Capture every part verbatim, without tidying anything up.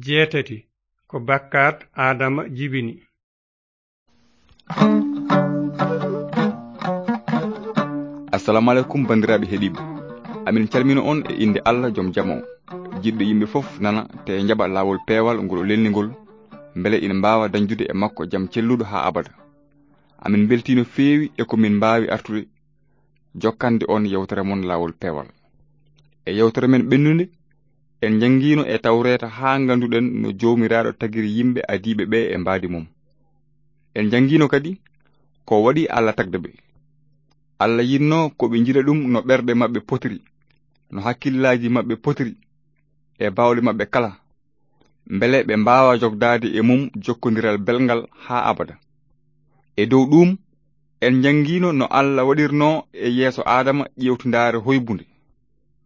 Jeetati, ko bakkaat Aadama jibini. Assalamu alaikum, bandiraaɓe heɗiiɓe. Amin calmina on e innde Allah, jom jam o, jiɗɗo yimɓe fof nana, te njaɓa laawol peewal ngol o lelni ngol, mbele ina mbaawa dañdude e makko jam celluɗo haa abada. Amin mbeltii no feewi e ko min mbaawi artude jokkande on yewtere mon Laawol Peewal. E yewtere men ɓennunde, en njanngiino e Tawreeta haa ngannduɗen no Joomiraaɗo tagiri yimɓe adiiɓe ɓe e mbaadi mum. En njanngiino kadi ko waɗi Allah tagde ɓe. Allah yiɗno ko ɓe njiɗa ɗum no ɓerɗe maɓɓe potiri, no hakkillaaji maɓɓe potiri, e baawɗe maɓɓe kala, mbele ɓe mbaawa jogdaade e mum jokkondiral belngal haa abada. E dow ɗuum, en njanngiino no Allah waɗirno e yeeso Aadama ƴeewtindaare hoybunde,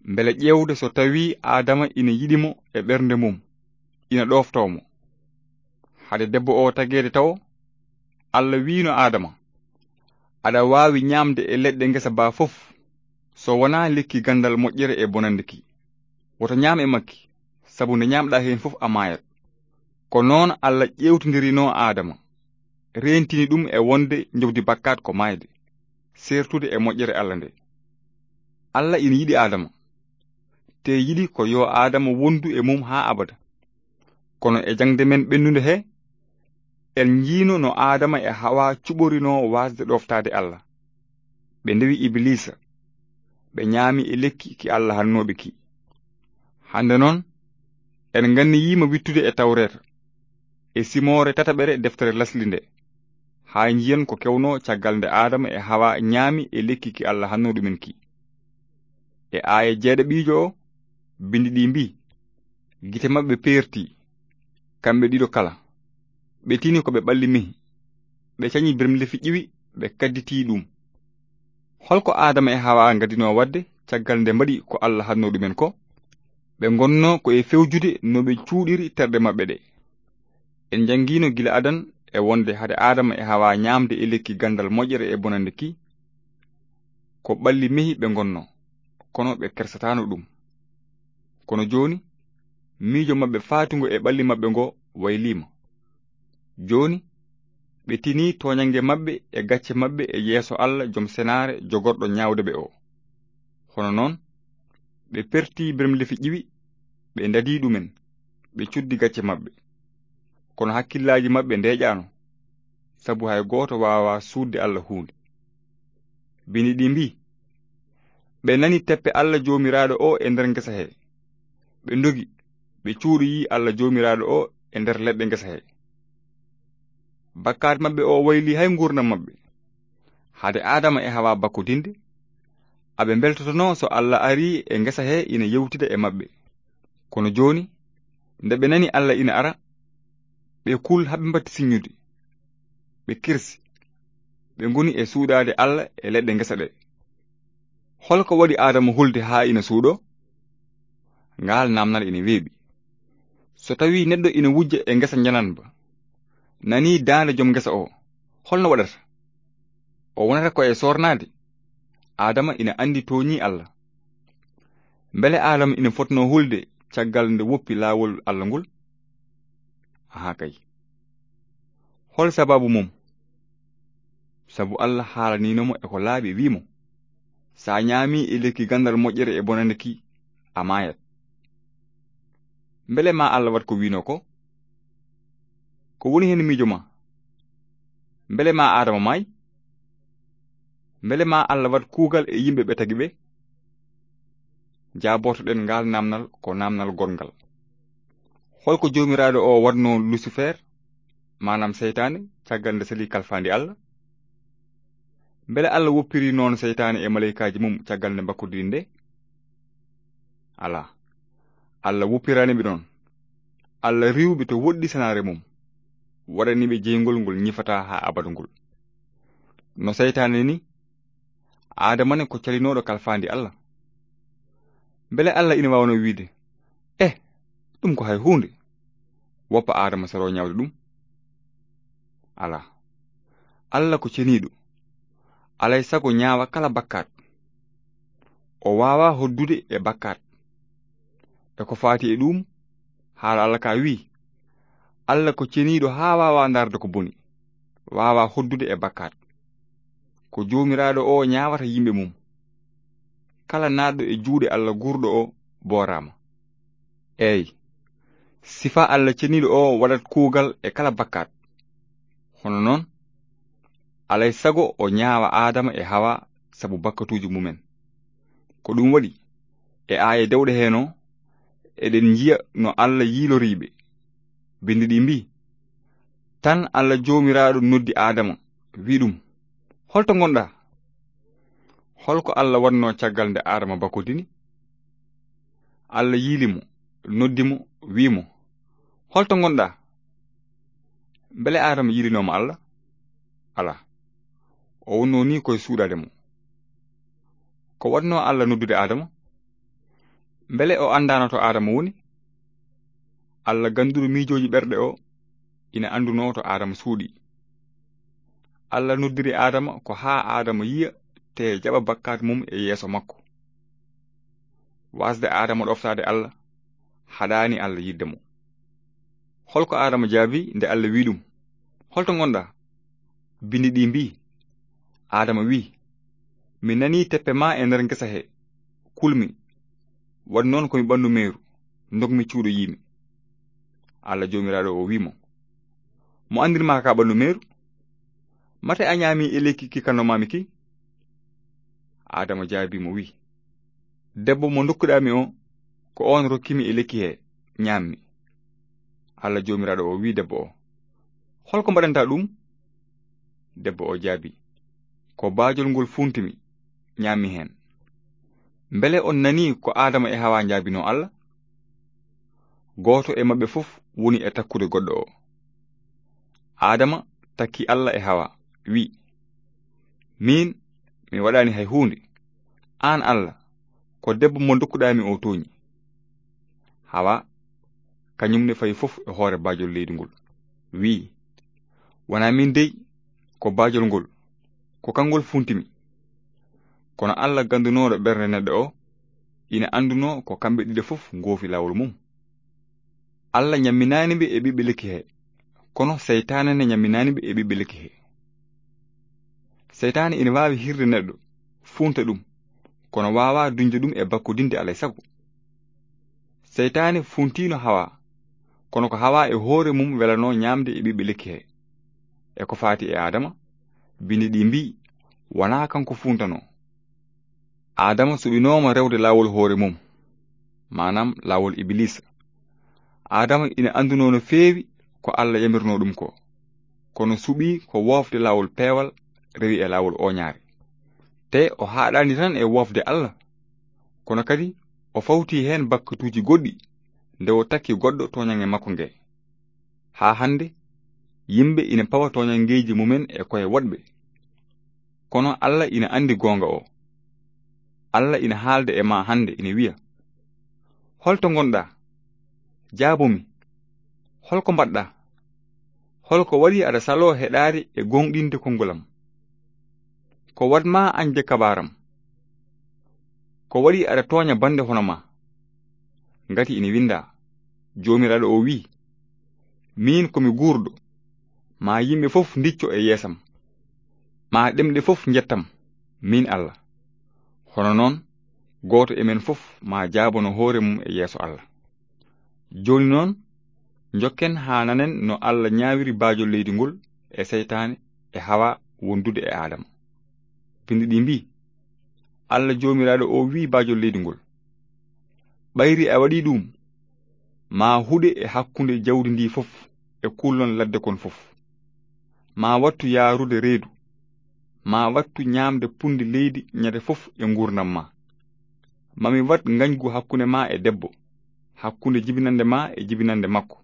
mbele ƴeewde so tawii Aadama ina yiɗi mo e ɓernde mum, ina ɗooftoo mo. Hade debbo o tageede tawo, Allah wiino Aadama, "Aɗa waawi ñaamde e leɗɗe ngesa baa fof, so wonaa lekki ganndal moƴƴere e bonannde ki. Woto ñaam e makki, sabu nde ñaamɗaa heen fof a maayat." Ko noon Allah ƴeewtindirinoo Aadama, reentini ɗum e wonde njoɓdi bakkaat ko maayde, seertude e moƴƴere Allah nde. Allah ina yiɗi Aadama, te yiɗi ko yo Aadama wondu e mum haa abada. Kono e jaŋde men ɓennunde he, en njiino no Aadama e Hawa cuɓorinoo waasde ɗooftaade Allah. Ɓe ndewi Ibiliisa, ɓe ñaami e lekki ki Allah hannooɓe ki. Hannde noon, en nganniyiima wittude e Tawreeta, e simoore tataɓere deftere lasli nde, haa njiyen ko kewnoo caggal nde Aadama e Hawa ñaami e lekki ki Allah hannoo ɗumen ki. E aaya jeeɗaɓiijo o, binndi ɗi mbii, "Gite maɓɓe peerti, kamɓe ɗiɗo kala. Ɓe tini ko ɓe ɓalli mehi. Ɓe cañi birmlefi ƴiwi, ɓe kadditii ɗum." Holko Aadama e Hawa ngadinoo waɗde caggal nde mbaɗi ko Allah hannoo ɗumen ko? Ɓe ngonnoo ko e fewjude no ɓe cuuɗiri terɗe maɓɓe ɗe. En njanngiino gila adan e wonde hade Aadama e Hawa ñaamde e lekki ganndal moƴƴere e bonannde ki, ko ɓalli mehi ɓe ngonnoo, kono ɓe kersataano ɗum. Kono jooni, miijo maɓɓe faatungo e ɓalli maɓɓe ngo wayliima. Jooni, ɓe tinii tooñannge maɓɓe e gacce maɓɓe e yeeso Allah, jom senaare, jogorɗo ñaawde ɓe o. Hono noon, ɓe pertii birmlefi ƴiwi, ɓe ndadii ɗumen, ɓe cuddi gacce maɓɓe. Kono hakkillaaji maɓɓe ndeeƴaano, sabu hay gooto waawaa suuɗde Allah huunde. Binndi ɗi mbii, "Ɓe nani teppe Allah Joomiraaɗo o e nder ngesa he. Ɓe ndogi, ɓe cuuɗoyii Allah Joomiraaɗo o e nder leɗɗe ngesa he." Bakkaat maɓɓe o wayli hay nguurndam maɓɓe. Hade Aadama e Hawa bakkodinde, aɓe mbeltotonoo so Allah arii e ngesa he ina yewtida e maɓɓe. Kono jooni, nde ɓe nani Allah ina ara, ɓe kul haa ɓe mbatti siññude. Ɓe kirsi. Ɓe ngoni e suuɗaade Allah e leɗɗe ngesa ɗe. Holko waɗi Aadama hulde haa ina suuɗoo? Ngaal naamnal ina weeɓi. So tawii neɗɗo ina wujja e ngesa njananba, nanii daande jom ngesa o, holno waɗata? O wonata ko e soornaade? Aadama ina anndi tooñii Allah. Mbele Aadama ina fotnoo hulde caggal nde woppi laawol Allah ngol? Ahaa kay. Hol sababu mum? Sabu Allah haalaniino mo e ko laaɓi, wii mo, "So a ñaamii e lekki ganndal moƴƴere e bonannde ki, a maayat." Mbele ma Allah waɗ ko wiinoo ko? Ko woni heen miijo ma? Mbele ma Aadama maay? Mbele ma Allah waɗ kuugal e yimɓe ɓe tagi ɓe? Jaabortoɗen ngaal naamnal ko naamnal goɗngal. Holko Joomiraaɗo o waɗnoo Lusifer, maanaam seytaane, caggal nde sali kalfaandi Allah? Mbele Allah woppiri noon seytaane e maleykaaji mum caggal nde mbakkodiri nde? Alaa. Allah woppiraani ɓe noon. Allah riiwi ɓe to woɗɗi senaare mum, waɗani ɓe jeyngol ngol ñifataa haa abada ngol. No seytaane ni, Aadama ne ko calinooɗo kalfaandi Allah. Mbele Allah ina waawnoo wiide, "Eh, ɗum ko hay huunde. Woppa Aadama sero ñaawde ɗum." Alaa. Allah ko ceniiɗo. Alay sago ñaawa kala bakkaat. O waawaa hoddude e bakkaat. E ko faati e ɗum, Haala Allah ka wi'i, Allah ko ceniiɗo haa waawaa ndaarde ko boni, waawaa hoddude e bakkaat. Ko Joomiraaɗo o ñaawata yimɓe mum. Kala naatɗo e juuɗe Allah guurɗo o booraama. Eey, sifa Allah ceniiɗo o waɗat kuugal e kala bakkaat. Hono noon, alay sago o ñaawa Aadama e Hawa sabu bakkatuuji mumen. Ko ɗum waɗi, e aaye dewɗe heen o, eɗen njiya no Allah yiiloriiɓe. Binndi ɗi mbii, tan Allah Joomiraaɗo noddi Aadama, wi' ɗum, "Holto ngonɗaa?" Holko Allah waɗno caggal nde Aadama bakkodini? Allah yiili mo, noddi mo, wi' mo, "Holto ngonɗaa?" Mbele Aadama yiilinooma Allah? Alaa. O wonno ni koye suuɗaade mo. Ko waɗno Allah noddude Aadama? Mbele o anndaano to Aadama woni? Allah gannduɗo miijooji ɓerɗe o ina annduno to Aadama suuɗi. Allah noddiri Aadama ko haa Aadama yiya te jaɓa bakkaat mum e yeeso makko. Waasde Aadama ɗoftaade Allah, haɗaani Allah yiɗde mo. Holko Aadama jaabi nde Allah wi' ɗum, "Holto ngonɗaa?" Binndi ɗi mbii, Aadama wi', "Mi nanii teppe ma e nder ngesa he, kulmi. Waɗi noon ko mi ɓanndu meeru, ndogmi cuuɗoyiimi." Allah Joomiraaɗo o wi' mo, "Mo anndirma ka ɓanndu meeru? Mate a ñaami e lekki ki kannomaami ki?" Aadama jaabi mo wi', "Debbo mo ndokkuɗaami o, ko oon rokkimi e lekki he, ñaammi." Allah Joomiraaɗo o wi' debbo o, "Holko mbaɗantaa ɗum?" Debbo o jaabi, "Ko baajol ngol fuuntimi, ñaammi heen." Mbele on nanii ko Aadama e Hawa njaabinoo Allah? Gooto e maɓɓe fof woni e takkude goɗɗo o. Aadama takki Allah e Hawa, wi', "Miin, mi waɗaani hay huunde. Aan Allah, ko debbo mo ndokkuɗaami o tooñi." Hawa, kañum ne fayi fof e hoore baajol leydi ngol, wi', "Wonaa miin dey, ko baajol ngol, ko kanngol fuuntimi." Kono Allah ganndunooɗo ɓernde neɗɗo o, ina anndunoo ko kamɓe ɗiɗo fof ngoofi laawol mum. Allah ñamminaani ɓe e ɓiɓɓe lekki he, kono seytaane ne ñamminaani ɓe e ɓiɓɓe lekki he. Seytaane ina waawi hirde neɗɗo, fuunta ɗum, kono waawaa duñde ɗum e bakkodinde alay sago. Seytaane fuuntiino Hawa, kono ko Hawa e hoore mum welanoo ñaamde e ɓiɓɓe lekki he. E ko faati e Aadama, binndi ɗi mbii, wonaa kanko fuuntanoo. Aadama suɓinooma rewde laawol hoore mum, maanaam laawol Ibiliisa. Aadama ina anndunoo no feewi ko Allah yamirnoo ɗum ko, kono suɓii ko woofde laawol peewal, rewi e laawol ooñaare. Te o haaɗaani tan e woofde Allah, kono kadi o fawtii heen bakkatuuji goɗɗi nde o takki goɗɗo tooñannge makko nge. Haa hannde, yimɓe ina pawa tooñanngeeji mumen e koye woɗɓe. Kono Allah ina anndi goonga o. Allah ina haalda e ma hannde, ina wiya, "Holto ngonɗaa? Jaabo mi. Holko mbaɗɗaa? Holko waɗi aɗa saloo heɗaade e gooŋɗinde konngol am? Ko waɗ ma añde kabaaram? Ko waɗi aɗa tooña bannde hono ma?" Ngati ina winndaa, Joomiraaɗo o wiyi, "Miin ko mi guurɗo, ma yimɓe fof ndicco e yeesam, ma ɗemɗe fof njettam, miin Allah." Hono noon, gooto e men fof ma jaabano hoore mum e yeeso Allah. Jooni noon, njokken haa nanen no Allah ñaawiri baajol leydi ngol e seytaane e Hawa wondude e Aadama. Binndi ɗi mbii, Allah Joomiraaɗo o wiyi baajol leydi ngol, "Ɓayri a waɗii ɗum, ma huɗe e hakkunde jawdi ndi fof e kullon ladde kon fof. Ma wattu yaarude reedu, ma wattu ñaamde punndi leydi ñande fof e nguurndam ma. Ma mi waɗ ngañgu hakkunde ma e debbo, hakkunde jibinannde ma e jibinannde makko.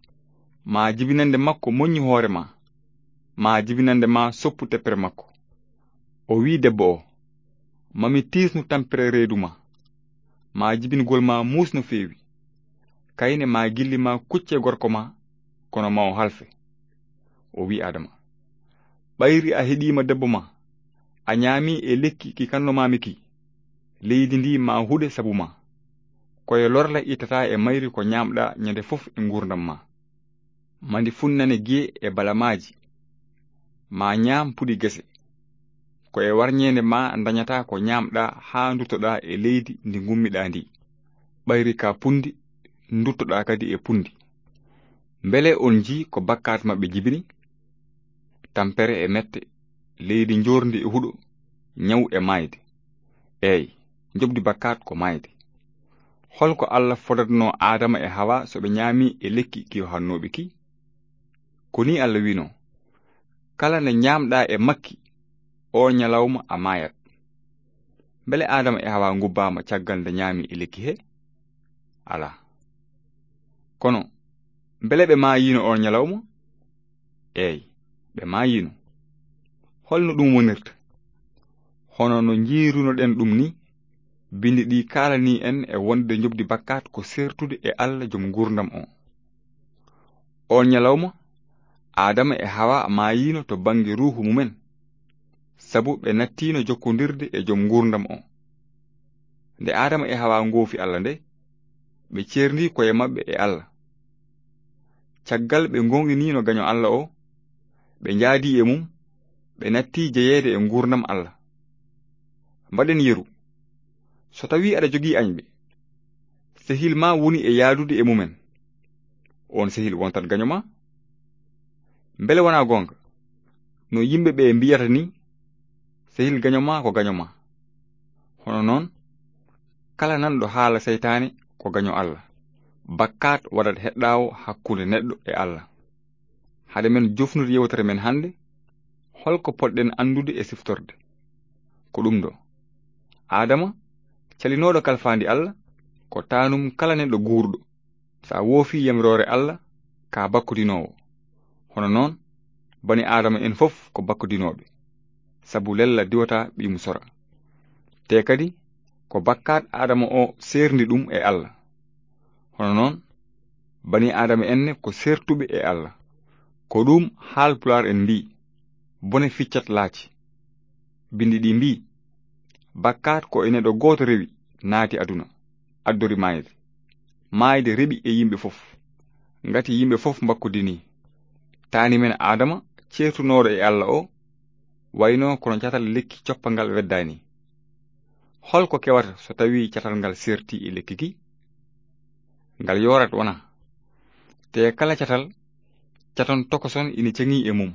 Ma jibinannde makko moƴƴu hoore ma, ma jibinannde ma soppu teppere makko." O wiyi debbo o, "Ma mi tiisnu tampere reedu ma, ma jibingol ma muus no feewi. Kayne ma gilli ma kucce gorko ma, kono ma o halfe." O wiyi Aadama, "Ɓayri a heɗiima debbo ma, a ñaami e lekki ki kannomaami ki, leydi ndi ma huɗe sabu ma. Ko e lorla ittataa e mayri ko ñaamɗaa ñande fof e nguurndam maa. Mandi funnane giye e balamaaji, maa ñaam puɗi gese. Ko e warñeende maa ndañataa ko ñaamɗaa haa nduttoɗaa e leydi ndi ngummiɗaa ndi. Ɓayri ka punndi, nduttoɗaa kadi e punndi. Mbele on njii ko bakkaat maɓɓe jibini? Tampere e mette, leydi njoorndi e huɗo, ñaw e maayde. Eey, njoɓdi bakkaat ko maayde. Hol ko Allah fodatnoo Aadama e Hawa so ɓe ñaami e lekki ki o hannooɓe ki? Ko nii Allah wiinoo: "Kala nde ñaamɗaa e makki, oo ñalawma a maayat." Mbele Aadama e Hawa ngubbaama caggal nde ñaami e lekki he? Alaa. Kono, mbele ɓe maayiino oon ñalawma? Eey, ɓe maayiino. Holno ɗum wonirta? Hono no njiirunoɗen ɗum ni, Binndi ɗi kaalanii en e wonde njoɓdi bakkaat ko seertude e Allah, Joom nguurndam o. Oon ñalawma, Aadama e Hawa maayiino to bannge ruuhu mumen, sabu ɓe nattiino jokkondirde e Joom nguurndam o. Nde Aadama e Hawa ngoofi Allah nde, ɓe ceerndii koye maɓɓe e Allah. Caggal ɓe ngoonginiino gaño Allah o, ɓe njaadii e mum, ɓe nattii jeyeede e nguurndam Allah. Mbaɗen yeru. So tawii aɗa jogii añɓe, sehil maa woni e yaadude e mumen, oon sehil wontat gaño maa? Mbele wonaa goonga, no yimɓe ɓe mbiyata ni, "Sehil gaño maa ko gaño maa"? Hono noon, kala nanɗo haala seytaane ko gaño Allah. Bakkaat waɗat heɗɗaawo hakkunde neɗɗo e Allah. Hade men jofnude yewtere men hannde, hol ko potɗen anndude e siftorde? Ko ɗum ɗo: Aadama, calinooɗo kalfaandi Allah, ko taanum kala neɗɗo guurɗo. So a woofii yamiroore Allah, ka bakkodinoowo. Hono noon, bani Aadama en fof ko bakkodinooɓe, sabu lella diwata ɓiyum sora. Te kadi, ko bakkaat Aadama o seerndi ɗum e Allah. Hono noon, bani Aadama en ne ko seertuɓe e Allah. Ko ɗum Haalpulaar en mbii, "Bone ficcat laaci." Binndi ɗi mbii, "Bakkaat ko e neɗɗo gooto rewi, naati aduna, addori maayde. Maayde reɓi e yimɓe fof, ngati yimɓe fof mbakkodinii." Taani men Aadama, ceertunooɗo e Allah o, wayno kono catal lekki coppangal weddaani. Hol ko kewata so tawii catal ngal seerti e lekki ki? Ngal yoorat, wonaa? Te kala catal, caton tokoson ina ceŋii e mum.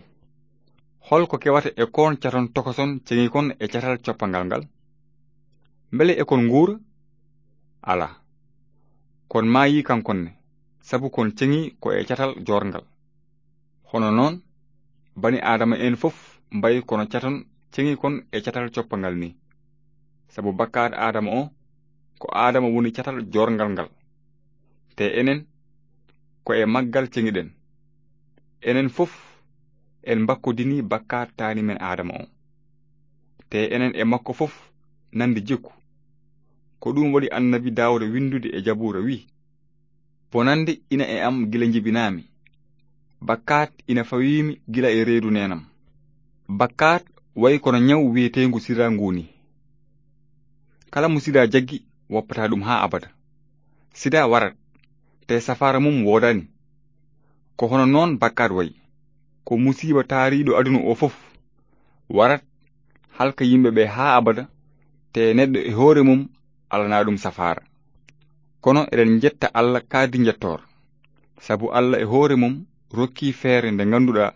Hol ko kewata e koon caton tokoson ceŋi kon e catal coppangal ngal? Mbele e kon nguura? Alaa. Kon maayii kankon ne, sabu kon ceŋii ko e catal joorngal. Hono noon, bani Aadama en fof mbayi kono caton ceŋi kon e catal coppangal ni. Sabu bakkaat Aadama o, ko Aadama woni catal joorngal ngal. Te enen, ko e maggal ceŋiɗen. Enen fof, en mbakkodinii bakkaat taani men Aadama o. Te enen e makko fof nande jikku. Ko ɗum waɗi Annabi Daawuda winndude e Jabuura, wii: "Bonannde ina e am gila njibinaami. Bakkaat ina fawiimi gila e reedu neenam." Bakkaat wayi kono ñaw wiyeteengu sida ngu ni. Kala mo sida jaggi, woppataa ɗum haa abada. Sida warat, te safaara mum woodaani. Ko hono noon bakkaat wayi. Ko musiiba taariiɗo aduna o fof. Warat, halka yimɓe ɓe haa abada, te neɗɗo e hoore mum alanaa ɗum safaara. Kono eɗen njetta Allah kadi njettoor, sabu Allah e hoore mum rokkii feere nde ngannduɗaa,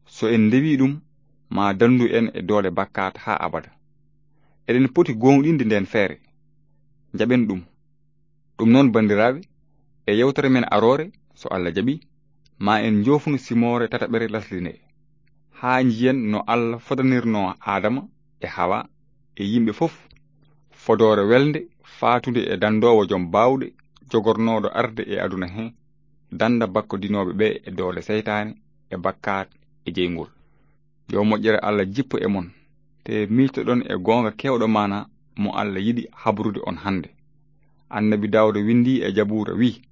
so en ndewii ɗum, ma danndu en e doole bakkaat haa abada. Eɗen poti gooŋɗinde ndeen feere. Njaɓen ɗum. Ɗum noon, banndiraaɓe, e yewtere men aroore, so Allah jaɓii, ma en njoofnu simoore tataɓere lasli nde, haa njiyen no Allah fodanirnoo Aadama e Hawa e yimɓe fof fodoore welnde, faatunde e danndoowo jom baawɗe, jogornooɗo arde e aduna he, dannda bakkodinooɓe ɓe e doole seytaane, e bakkaat, e jeyngol. Yo moƴƴere Allah jippo e mon, te miijtoɗon e goonga keewɗo maana mo Allah yiɗi habrude on hannde. Annabi Daawuda winndii e Jabuura, wii: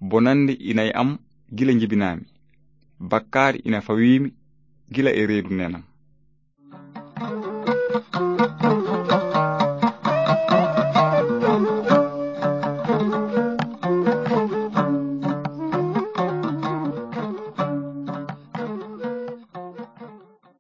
"Bonannde ina e am gila njibinaami. Bakkaat ina fawiimi gila e reedu neenam."